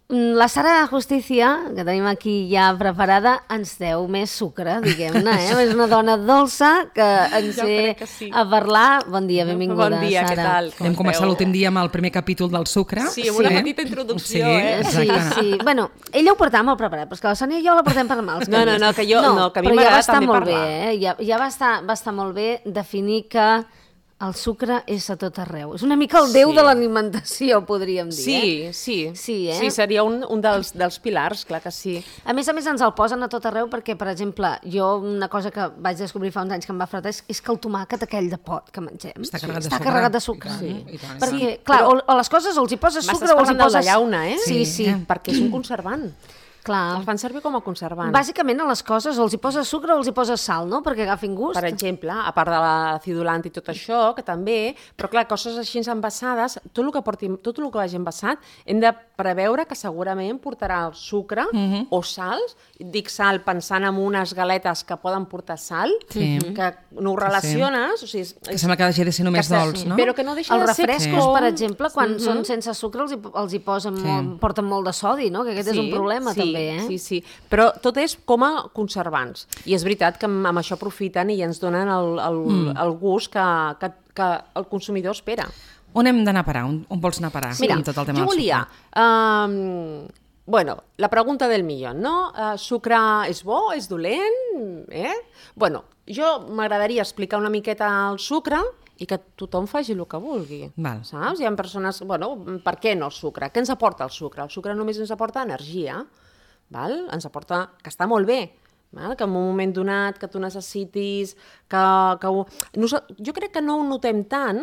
La Sara Justicia, que tenim aquí ja preparada, ens deu més sucre, diguem-ne, És una dona dolça que ens ve a parlar. Bon dia, benvinguda, Bon dia, Sara. què tal? Vam començar l'últim dia amb el primer capítol del sucre. Sí, amb una petita introducció, Sí. Bueno, ella ho portava molt preparat, però és que la Sònia i jo la portem per mals. No, que a mi m'agrada també parlar. Ja va estar molt bé definir que el sucre és a tot arreu. És una mica el déu de l'alimentació, podríem dir. Sí, seria un dels pilars, clar que sí. A més ens el posen a tot arreu perquè, per exemple, jo una cosa que vaig descobrir fa uns anys que em va fretar és que el tomàquet aquell de pot que mengem està carregat de sucre. Perquè, clar, o les coses o els hi poses sucre o els hi poses... M'estàs parlant de llauna, Sí. Perquè és un conservant. Clar. Els fan servir com a conservant. Bàsicament a les coses o els hi poses sucre o els hi poses sal, no? Perquè agafin gust. Per exemple, a part de l'acidulant i tot això, que també, però clar, coses així envasades, tot el que vagi envasat, hem de preveure que segurament portarà el sucre o sals. Dic sal pensant en unes galetes que poden portar sal, que no ho relaciones. O sigui, que sembla que hagi de ser només dolç, no? Però que no deixa els de ser... Els refrescos, per exemple, quan són sense sucre, els hi porten molt de sodi, no? Que aquest és un problema, també. Sí, però tot és com a conservants. I és veritat que amb això aprofiten i ens donen el gust que el consumidor espera. On hem d'anar a parar? On vols anar a parar? Mira, tot el tema jo volia... la pregunta del millón, no? Sucre és bo, és dolent? Bueno, jo m'agradaria explicar una miqueta el sucre i que tothom faci el que vulgui. Saps? Hi ha persones... Bueno, per què no el sucre? Què ens aporta el sucre? El sucre només ens aporta energia. Ens aporta que està molt bé, que en un moment donat que tu necessitis, jo crec que no ho notem tant,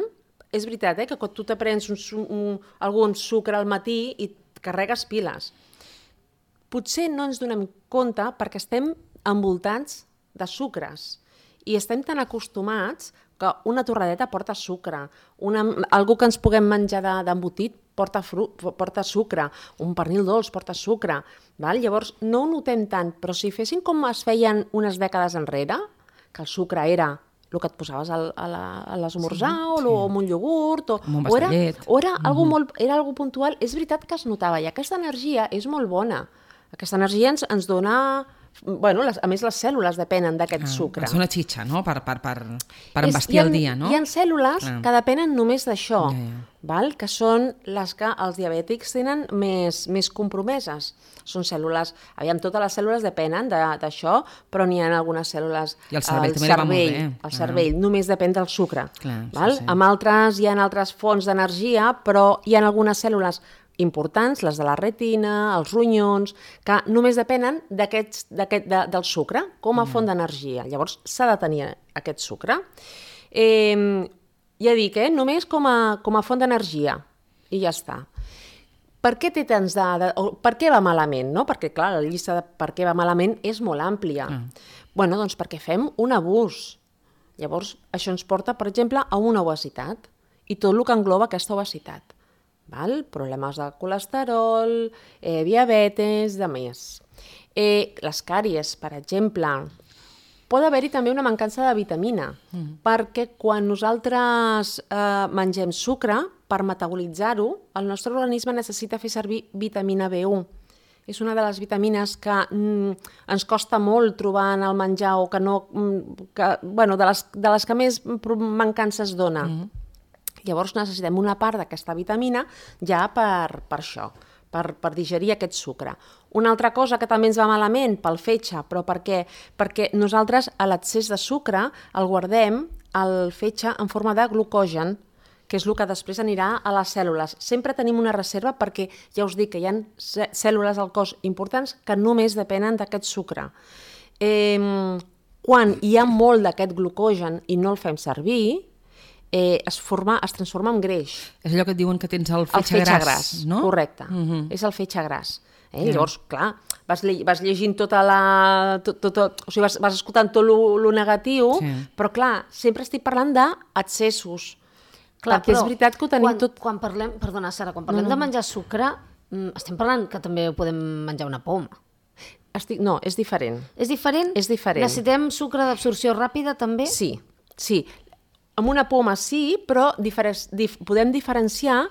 és veritat, que quan tu te prens algun sucre al matí i carregues piles. Potser no ens donem compte perquè estem envoltats de sucres i estem tan acostumats que una torradeta porta sucre, algú que ens puguem menjar d'embotit porta sucre, un pernil dolç porta sucre. Llavors, no ho notem tant, però si fessin com es feien unes dècades enrere, que el sucre era el que et posaves a l'esmorzar o amb un iogurt, o era algo puntual, és veritat que es notava, i aquesta energia és molt bona. Aquesta energia ens dona... Bueno, a més, les cèl·lules depenen d'aquest sucre. És una xitxa, no?, per embastir el dia, no? Hi ha cèl·lules que depenen només d'això, que són les que els diabètics tenen més compromeses. Són cèl·lules... Totes les cèl·lules depenen d'això, però n'hi ha algunes cèl·lules... I el cervell també va molt bé. El cervell només depèn del sucre. Amb altres hi ha altres fonts d'energia, però hi ha algunes cèl·lules importants, les de la retina, els ronyons, que només depenen del sucre com a font d'energia. Llavors s'ha de tenir aquest sucre. Ja dic, només com a font d'energia, i ja està. Per què té tants per què va malament? Perquè, clar, la llista de per què va malament és molt àmplia. Doncs perquè fem un abús. Llavors, això ens porta, per exemple, a una obesitat, i tot el que engloba aquesta obesitat. Problemes de colesterol, diabetes, de més. Les càries, per exemple, pot haver-hi també una mancança de vitamina, perquè quan nosaltres mengem sucre, per metabolitzar-ho, el nostre organisme necessita fer servir vitamina B1. És una de les vitamines que ens costa molt trobar en el menjar o de les que més mancances dona. Llavors necessitem una part d'aquesta vitamina ja per això, per digerir aquest sucre. Una altra cosa que també ens va malament pel fetge, però perquè nosaltres a l'excés de sucre el guardem el fetge en forma de glucogen, que és el que després anirà a les cèl·lules. Sempre tenim una reserva perquè ja us dic que hi ha cèl·lules al cos importants que només depenen d'aquest sucre. Quan hi ha molt d'aquest glucogen i no el fem servir, es transforma en greix. És allò que et diuen que tens el fetge gras, no? Correcte, és el fetge gras. Llavors, clar, vas llegint o sigui, vas escoltant tot el negatiu, però clar, sempre estic parlant d'excessos. Perquè és veritat que ho tenim tot... Perdona, Sara, quan parlem de menjar sucre, estem parlant que també podem menjar una poma. No, és diferent. És diferent? És diferent. Necessitem sucre d'absorció ràpida també? Sí. Amb una poma sí, però podem diferenciar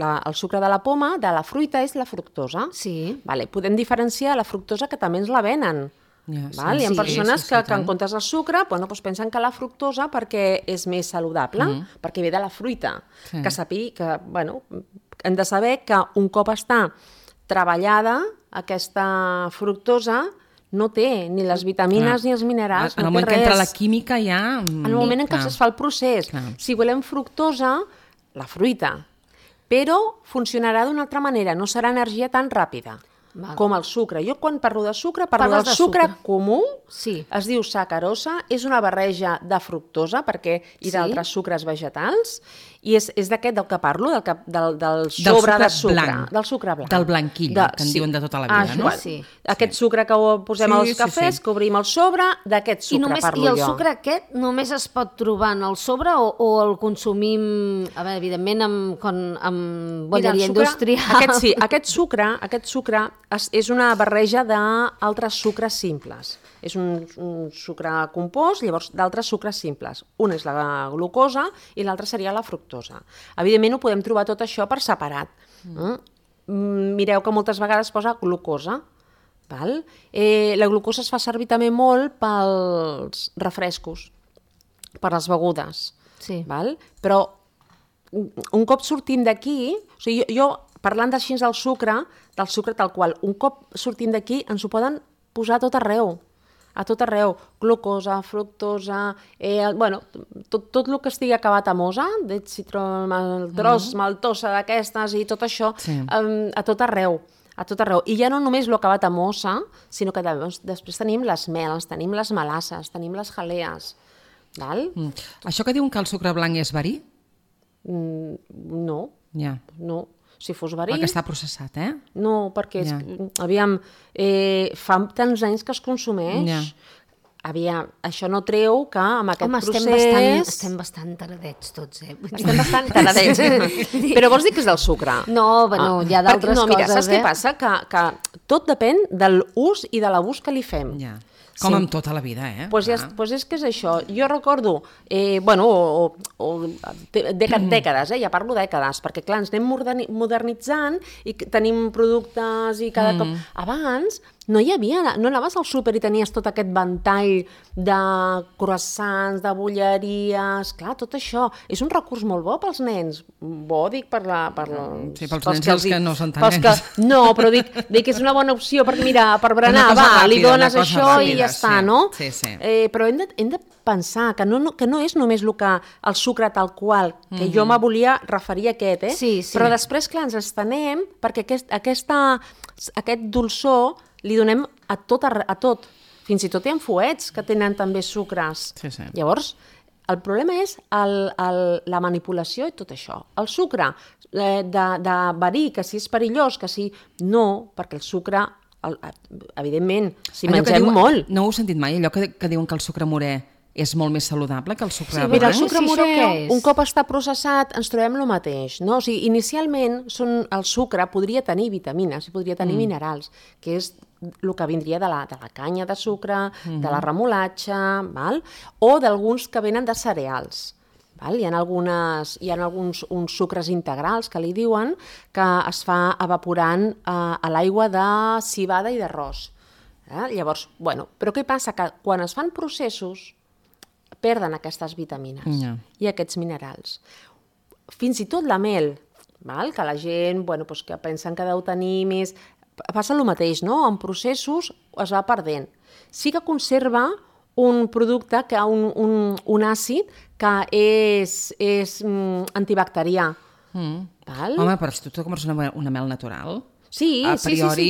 el sucre de la poma, de la fruita, és la fructosa. Sí. Vale, podem diferenciar la fructosa, que també ens la venen. Hi ha persones que en comptes del sucre pensen que la fructosa perquè és més saludable, perquè ve de la fruita. Que hem de saber que un cop està treballada, aquesta fructosa no té ni les vitamines ni els minerals, en el moment que entra la química ja... En el moment en què es fa el procés. Si volem fructosa, la fruita, però funcionarà d'una altra manera, no serà energia tan ràpida com el sucre. Jo quan parlo de sucre, parlo del sucre comú, es diu sacarosa, és una barreja de fructosa i d'altres sucres vegetals, i és d'aquest del que parlo, del sobre de sucre. Del sucre blanc. Del blanquill, que en diuen de tota la vida, no? Aquest sucre que posem als cafès, que obrim el sobre, d'aquest sucre parlo jo. I el sucre aquest només es pot trobar en el sobre o el consumim, evidentment, amb bolleria industrial? Aquest sucre és una barreja d'altres sucres simples. És un sucre compost, llavors d'altres sucres simples. Un és la glucosa i l'altre seria la fructosa. Evidentment ho podem trobar tot això per separat. Mireu que moltes vegades posa glucosa. La glucosa es fa servir també molt pels refrescos, per les begudes. Però un cop sortim d'aquí, jo parlant així del sucre tal qual, un cop sortim d'aquí ens ho poden posar a tot arreu, glucosa, fructosa, tot el que estigui acabat amb osa, citromaltros, maltosa d'aquestes i tot això, a tot arreu. I ja no només l'acabat amb osa, sinó que després tenim les mels, tenim les melasses, tenim les jalees. Això que diuen que el sucre blanc és verí? No. No. Si fos verí... Perquè està processat, eh? No, perquè, aviam, fa tants anys que es consumeix. Aviam, això no treu que amb aquest procés... Estem bastant taradets tots, Estem bastant taradets. Però vols dir que és del sucre? No, hi ha d'altres coses, Mira, saps què passa? Que tot depèn de l'ús i de l'abús que li fem. Com amb tota la vida, Doncs és que és això. Jo recordo, dècades, ja parlo dècades, perquè clar, ens anem modernitzant i tenim productes i cada cop... Abans no anaves al súper i tenies tot aquest ventall de croissants, de bolleries... Clar, tot això és un recurs molt bo pels nens. Bo, dic, pels nens i els que no són tan nens. No, però dic que és una bona opció perquè, mira, per berenar, li dones això i ja està, no? Però hem de pensar que no és només el sucre tal qual, que jo me volia referir a aquest, però després, clar, ens estenem perquè aquest dolçor li donem a tot. Fins i tot hi ha fuets que tenen també sucres. Llavors, el problema és la manipulació i tot això. El sucre de verí, que si és perillós, que si no, perquè el sucre, evidentment, si mengem molt... No ho he sentit mai, allò que diuen que el sucre morè és molt més saludable que el sucre blanc? Mira, el sucre morè, un cop està processat, ens trobem el mateix. No? O sigui, inicialment, el sucre podria tenir vitamines, podria tenir minerals, que és el que vindria de la canya de sucre, de la remolatxa, o d'alguns que venen de cereals. Hi ha alguns sucres integrals, que li diuen, que es fa evaporant a l'aigua de civada i d'arròs. Llavors, però què passa? Que quan es fan processos, perden aquestes vitamines i aquests minerals. Fins i tot la mel, que la gent que pensen que deu tenir més... Passa el mateix, no? En processos es va perdent. Sí que conserva un producte, un àcid, que és antibacterià. Home, però si tu compres una mel natural, a priori...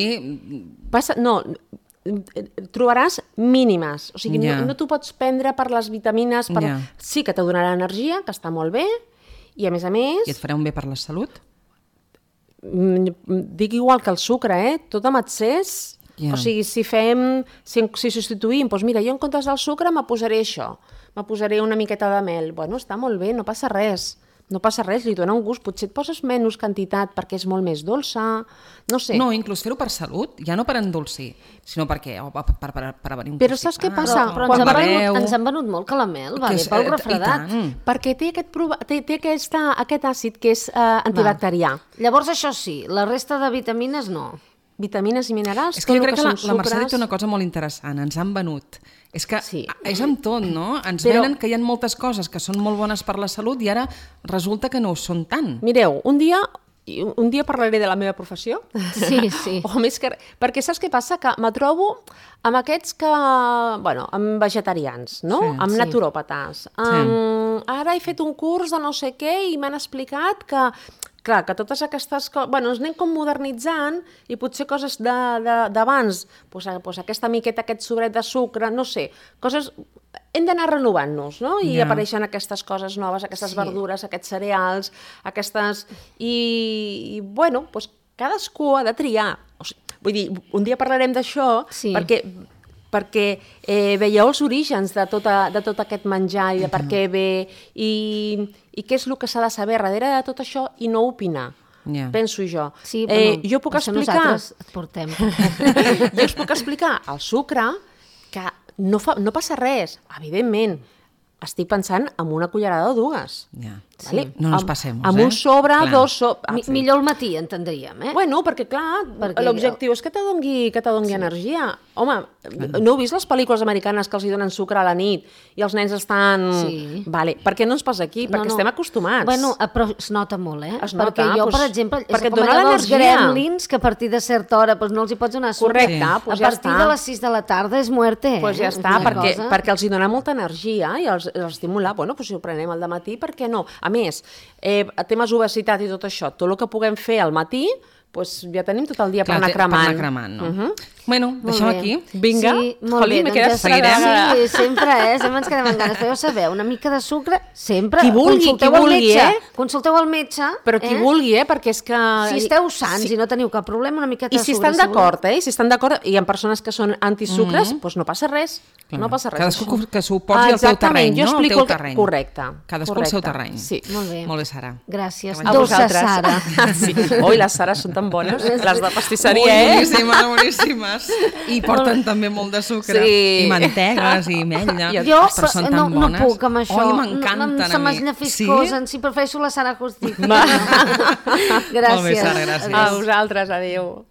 No, trobaràs mínimes, o sigui, no t'ho pots prendre per les vitamines, sí que te donarà energia, que està molt bé, i a més... I et farà un bé per la salut? Dic igual que el sucre, tot amb excés, o sigui, si substituïm, doncs mira, jo en comptes del sucre me posaré això, me posaré una miqueta de mel, està molt bé, no passa res, no passa res, li dona un gust, potser et poses menys quantitat perquè és molt més dolça, no sé. No, inclús fer-ho per salut, ja no per endolcir, sinó per què? Per venir un Però saps què passa? Però ens han venut molt calamel, va bé pel refredat. Perquè té aquest àcid que és antibacterià. Llavors això sí, la resta de vitamines no. Vitamines i minerals, és que jo crec que la Mercè té una cosa molt interessant, ens han venut. És que és amb tot, no? Ens venen que hi ha moltes coses que són molt bones per la salut i ara resulta que no ho són tant. Mireu, un dia parlaré de la meva professió. Sí. O més que... Perquè saps què passa? Que me trobo amb aquests que... Bueno, amb vegetarians, no? Amb naturòpates. Ara he fet un curs de no sé què i m'han explicat que... Clar, que totes aquestes coses... Bueno, ens anem com modernitzant i potser coses d'abans, doncs aquesta miqueta, aquest sobret de sucre, no sé, coses... Hem d'anar renovant-nos, no? I apareixen aquestes coses noves, aquestes verdures, aquests cereals, aquestes... I bueno, doncs cadascú ha de triar. Vull dir, un dia parlarem d'això perquè veieu els orígens de tot aquest menjar i de per què ve i què és el que s'ha de saber darrere de tot això i no opinar. Penso jo. Sí, bueno, jo puc explicar... Nosaltres et portem. Jo us puc explicar el sucre que no passa res, evidentment. Estic pensant en una cullerada o dues. Vale? No ens passem. Amb un sobre, dos sobres... Millor al matí, entendríem, Bueno, perquè clar, l'objectiu és que te dongui energia. Home, no heu vist les pel·lícules americanes que els hi donen sucre a la nit i els nens estan... Vale. Per què no ens passa aquí? Perquè estem acostumats. Bueno, però es nota molt, Es nota, perquè jo, per exemple, perquè és com allò dels gremlins que a partir de certa hora no els hi pots donar sucre. Correcte, a partir de les 6 de la tarda és muerte. Doncs ja està, perquè els hi dona molta energia i els estimula. Bueno, si ho prenem al dematí, per què no? A més, temes obesitat i tot això, tot el que puguem fer al matí, ja tenim tot el dia per anar cremant. Per anar cremant, no? Bueno, deixem aquí. Vinga. Sí, molt bé, doncs sí, sempre ens quedem amb ganes. Però ja sabeu, una mica de sucre, sempre. Qui vulgui, Consulteu el metge. Però qui vulgui, perquè és que... Si esteu sants i no teniu cap problema, una miqueta de sucre. I si estan d'acord, si estan d'acord, i hi ha persones que són antisucres, doncs no passa res. No passa res. Cadascú que s'ho posi al seu terreny, no? Jo explico el correcte. Cadascú al seu terreny. Sí. Molt bé, Sara. Gràcies. A vosaltres. Sara. Oi, les Sares són tan bones. Les de pastisseria, boníssimes. I porten també molt de sucre. I mantegues i ametlla. Jo no puc amb això. Oi, m'encanten a mi. Se m'esnafiscosen. Si prefereixo la Sara Agustí. Gràcies. Molt bé, Sara, gràcies. A vosaltres, adéu.